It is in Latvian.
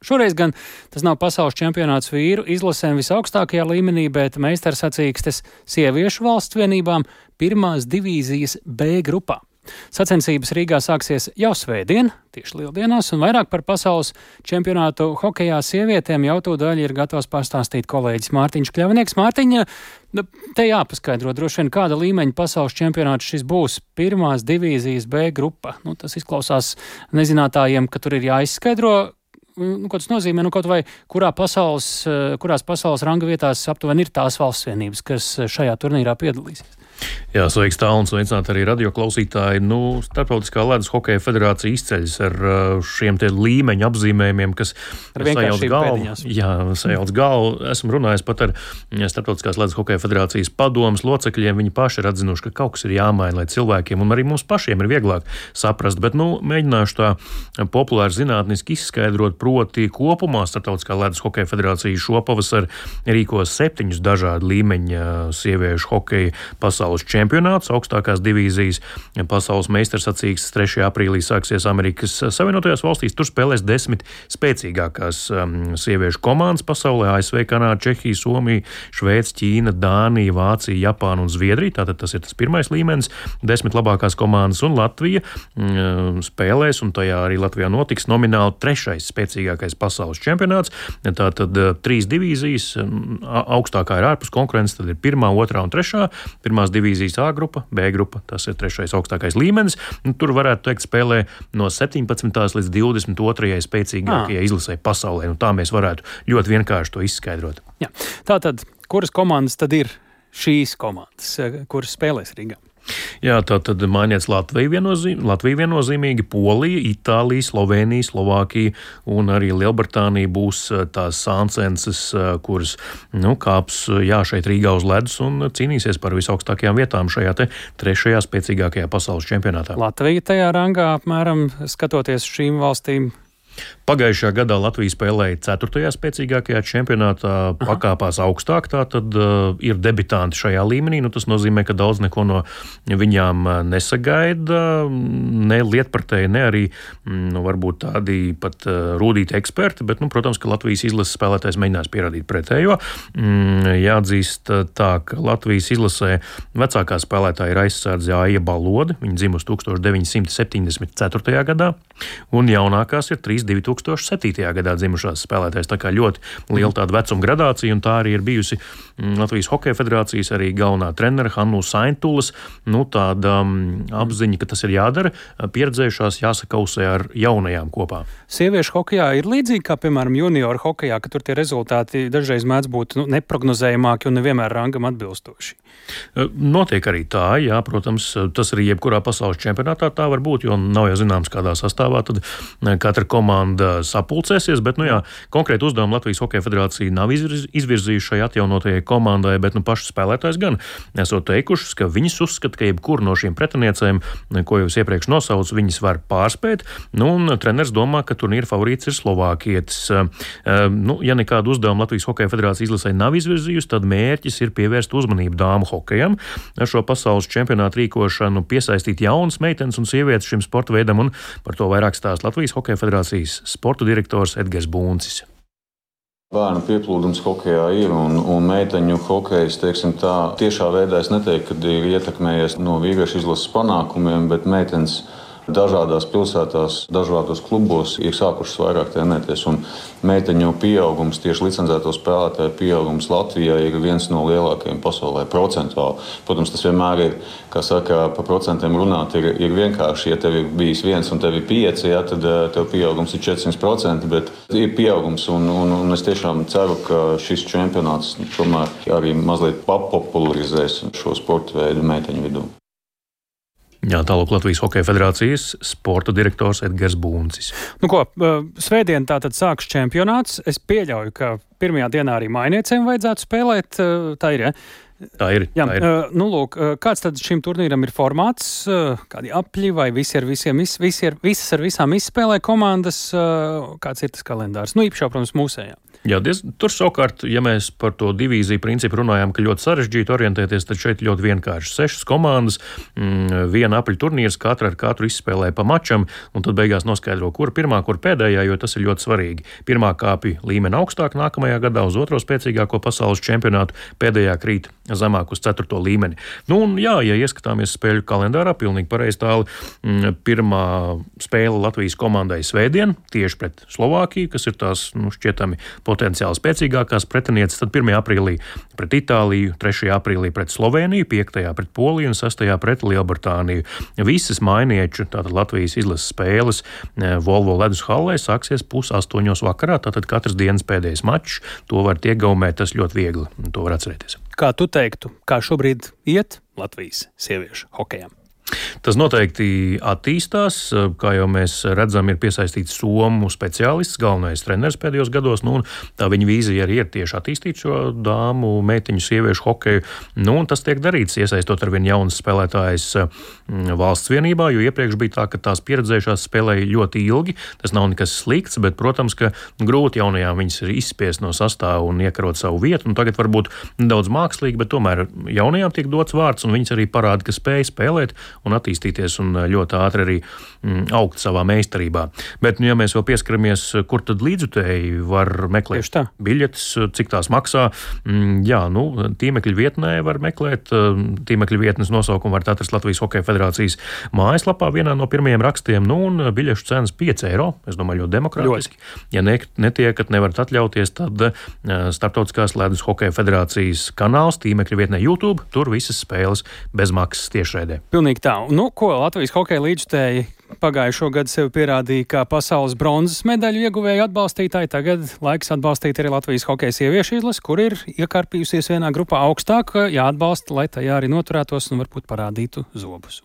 Šoreiz gan tas nav pasaules čempionāts vīru izlasēm visaugstākajā līmenī, bet meistarsacīkstes sieviešu valsts vienībām pirmās divīzijas B grupā. Sacensības Rīgā sāksies jau svētdien, tieši Lieldienās, un vairāk par pasaules čempionātu hokejā sievietēm jau tūdaļ ir gatavs pastāstīt kolēģis Mārtiņš Kļavnieks. Mārtiņa, te jāpaskaidro droši vien, kāda līmeņa pasaules čempionāts šis būs pirmās divīzijas B grupa. Tas izklausās nezinātājiem, ka tur ir jāizskaidro, ko tas nozīmē, kaut vai kurās pasaules ranga vietās aptuveni ir tās valsts vienības, kas šajā turnīrā piedalīsies. Jā, sveiks tālu un sveicināt arī radioklausītāji. Starptautiskā ledus hokeja federācija izceļas ar šiem te līmeņu apzīmējumiem, kas sajauc galvu. Jā, sajauc galvu. Esmu runājis pat ar Starptautiskās ledus hokeja federācijas padomas locekļiem. Viņi paši ir atzinuši, ka kaut kas ir jāmaina, lai cilvēkiem un arī mums pašiem ir vieglāk saprast. Bet, mēģināšu tā populāri zinātniski izskaidrot, proti kopumā Starptautiskā ledus hokeja federācija šopavasar rīkos 7 dažādu līmeņa sieviešu hokeja pasaules čempionāts, augstākās divīzijas pasaules meistarsacīkstes 3. aprīlī sāksies Amerikas Savienotajās valstīs. Tur spēlēs 10 spēcīgākās sieviešu komandas pasaulē - ASV, Kanāda, Čehija, Somija, Šveice, Ķīna, Dānija, Vācija, Japāna un Zviedrija. Tātad tas ir tas pirmais līmenis, 10 labākās komandas, un Latvija spēlēs, un tajā arī Latvijā notiks nomināli 3. spēcīgākais pasaules čempionāts. Tātad 3 divīzijas, augstākā ir ārpus konkurences, tad ir 1., 2. un 3. Pirmās divīzijas A grupa, B grupa, tas ir 3. augstākais līmenis. Tur varētu teikt spēlē no 17. līdz 22. spēcīgākajai izlasē pasaulē. Tā mēs varētu ļoti vienkārši to izskaidrot. Jā. Tātad, kuras komandas tad ir šīs komandas, kuras spēlēs Rīgā? Jā, tātad mainīts Latvija viennozīmīgi, Polija, Itālija, Slovenija, Slovākija un arī Lielbritānija būs tās sāncenses, kuras kāps šeit Rīgā uz ledus un cīnīsies par visaugstākajām vietām šajā te 3. spēcīgākajā pasaules čempionātā. Latvija tajā rangā apmēram skatoties šīm valstīm. Pagājušajā gadā Latvija spēlēja 4. spēcīgākajā čempionātā, pakāpās augstāk, tātad ir debitanti šajā līmenī. Tas nozīmē, ka daudz neko no viņām nesagaida, ne lietpratēji, ne arī varbūt tādi pat rūdīti eksperti, bet, protams, ka Latvijas izlases spēlētājs mēģinās pierādīt pretējo. Jāatzīst tā, ka Latvijas izlasē vecākā spēlētāja ir aizsardze Aija Balode, viņa dzimusi 1974. gadā, un jaunākās ir 3 2007. gadā dzimušās spēlētājs. Tā kā ļoti liela tāda vecuma gradācija, un tā arī ir bijusi Latvijas Hokeja federācijas arī galvenā trenere Hannu Saintulas. Tāda apziņa, ka tas ir jādara, pieredzējušās jāsakausē ar jaunajām kopā. Sieviešu hokejā ir līdzīgi kā, piemēram, junioru hokejā, ka tur tie rezultāti dažreiz mēdz būt neprognozējamāki un nevienmēr rangam atbilstoši. Notiek arī tā, jā, protams, tas arī jebkurā pasaules čempionātā tā var būt, jo nav jau zināms, kādā sastāvā tad katra komanda sapulcēsies, bet, konkrēti uzdevumu Latvijas Hokeja federācija nav izvirzījuši šai atjaunotajai komandai, bet, paši spēlētājs gan esot teikušas, ka viņas uzskata, ka jebkuru no šīm pretiniecēm, ko jau iepriekš nosaucu, viņas var pārspēt, un treneris domā, ka turnīra favorīts ir slovākietis. Ja nekādu uzdevumu Latvijas Hokeja federācija izlasē nav izvirzījusi, tad mērķis ir pievērst uzmanību dāmu hokejam, ar šo pasaules čempionātu rīkošanu piesaistīt jaunas meitenes un sievietes šim sporta veidam, un par to vairāk stāsta Latvijas Hokeja federācijas sporta direktors Edgars Buncis. Bērnu pieplūdums hokejā ir, un meiteņu hokejs, tiešā veidā es neteiktu, ka ir ietekmējies no vīriešu izlases panākumiem, bet meitenes dažādās pilsētās, dažādos klubos ir sākušas vairāk trenēties, un meiteņu pieaugums, tieši licencēto spēlētāju pieaugums Latvijā ir viens no lielākajiem pasaulē procentuāli. Protams, tas vienmēr ir, kā saka, pa procentiem runāt ir vienkārši. Ja tev ir bijis 1 un tev ir 5, tad tev pieaugums ir 400%, bet ir pieaugums, un es tiešām ceru, ka šis čempionāts tomēr arī mazliet papopularizēs šo sporta veidu meiteņu vidū. Jā, tālāk Latvijas Hokeja federācijas sporta direktors Edgars Buncis. Svētdien tātad sāks čempionāts. Es pieļauju, ka pirmajā dienā arī mainiecēm vajadzētu spēlēt. Tā ir, ja? Tā ir. Jā, tā ir. Kāds tad šim turnīram ir formāts? Kādi apļi vai visas ar visām izspēlē komandas? Kāds ir tas kalendārs? Īpaši, protams, mūsējā. Jā, tur savukārt, ja mēs par to divīziju principu runājām, ka ļoti sarežģīti orientēties, tad šeit ļoti vienkārši 6 komandas, viena apaļu turnīrs, katra ar katru izspēlē pa mačam, un tad beigās noskaidro, kur pirmā, kur pēdējā, jo tas ir ļoti svarīgi. Pirmā kāpj līmeni augstāk nākamajā gadā uz otro spēcīgāko pasaules čempionātu, pēdējā krīt zemāk uz 4. līmeni. Nu, un jā, ja ieskatāmies spēļu kalendārā, pilnīgi pareizi tāli, pirmā spēle Latvijas komandai svētdien, tieši pret Slovākiju, kas ir tās, šķietami potenciāli spēcīgākās pretinieces, tad 1. aprīlī pret Itāliju, 3. aprīlī pret Slovēniju, 5. pret Poliju un 6. pret Lielbritāniju. Visas mainieču, tātad Latvijas izlases spēles Volvo ledus hallē sāksies 7:30 vakarā, tātad katras dienas pēdējais mačs, to var iegaumēt, tas ļoti viegli, to var atcerēties. Kā tu teiktu, kā šobrīd iet Latvijas sieviešu hokejam? Tas noteikti attīstās, kā jau mēs redzam, ir piesaistīts somu speciālists, galvenais treneris pēdējos gados, un tā viņa vīzija arī ir tieši attīstīt šo dāmu, meitiņu, sieviešu hokeju, un tas tiek darīts, iesaistot arvien jaunas spēlētājas valsts vienībā, jo iepriekš bija tā, ka tās pieredzējušās spēlēja ļoti ilgi, tas nav nekas slikts, bet, protams, ka grūti jaunajām viņas ir izspiest no sastāva un iekarot savu vietu, un tagad varbūt nedaudz mākslīgi, bet tomēr jaunajām tiek dots vārds, un viņas arī parāda, ka spēj spēlēt un attīstīties un ļoti ātri arī augt savā meistarībā. Bet, ja mēs vēl pieskaramies, kur tad līdzjutēji var meklēt biļetes, cik tās maksā, jā, tīmekļa vietnē var meklēt, tīmekļa vietnes nosaukumu var atrast Latvijas Hokeja federācijas mājaslapā vienā no pirmajiem rakstiem, un biļešu cenas 5 eiro, es domāju, ļoti demokrātiski. Ja netiekat, nevarat atļauties, tad Starptautiskās ledus Hokeja federācijas kanāls tīmekļa vietnē YouTube, tur visas spēles bez maksas tiešraidē. Pilnīgi tā. Ko Latvijas hokeja līdzjutēji pagājušo gadu sev pierādīja kā pasaules bronzas medaļu ieguvēju atbalstītāji. Tagad laiks atbalstīt arī Latvijas hokeja sieviešu izlasi, kur ir iekarpījusies vienā grupā augstāk, jāatbalsta, lai tajā arī noturētos un varbūt parādītu zobus.